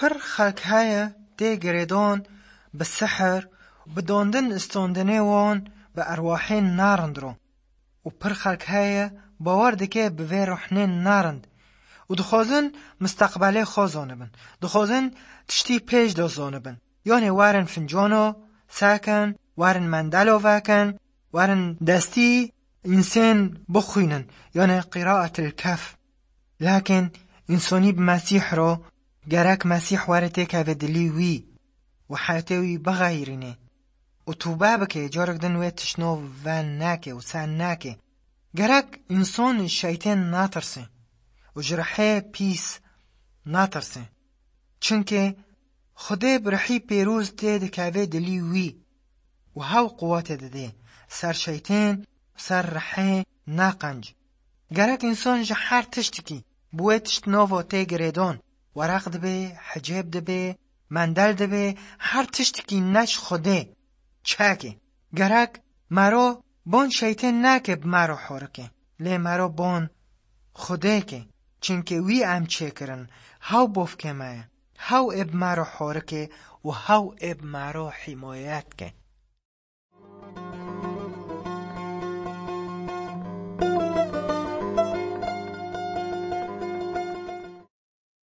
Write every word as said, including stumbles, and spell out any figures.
Pir xelk heye tê girêdan bi sihir, bi dandin istandinê wan bi erwahên narind re. Û pir xelk heye bawer dike bi vê ruhnên narind û dixwazin misteqbelê xwe zanibin. Dixwazin tiştî pêş de zanibin. Yanê werin fincano sekin, werin mendelo vekin, werin destî însên bixwînin, yanê qîraetil kef. Lakin însonî bi Mesîh re gerek Mesîh were têkeve dilî wî û heyatê wî bixeyirîne û tûbe bike, carek din wê tişt nov ve neke û sen neke. Gerek înson ji şeytên natirse û ji rihê pîs natirse. Çimkî Xwedê bi rihî pêroz tê dikeve dilî wî û hew quwetê didê ser şeytên, ser rihê naqenc. Gerek însan ji her tiştikî bi wê tişt nava tê girêdan, wereq dibe, hicêb dibe, mendel dibe, her tiştikî ne ji Xwedê çeke. Gerek mero bon şeytên neke bi mero horike, lê mero bon Xwedê ke, çimkî wî em çêkirin, hew bovkê me ye, hew ê bi mero horike û hew ê bi mero hîmayet ke.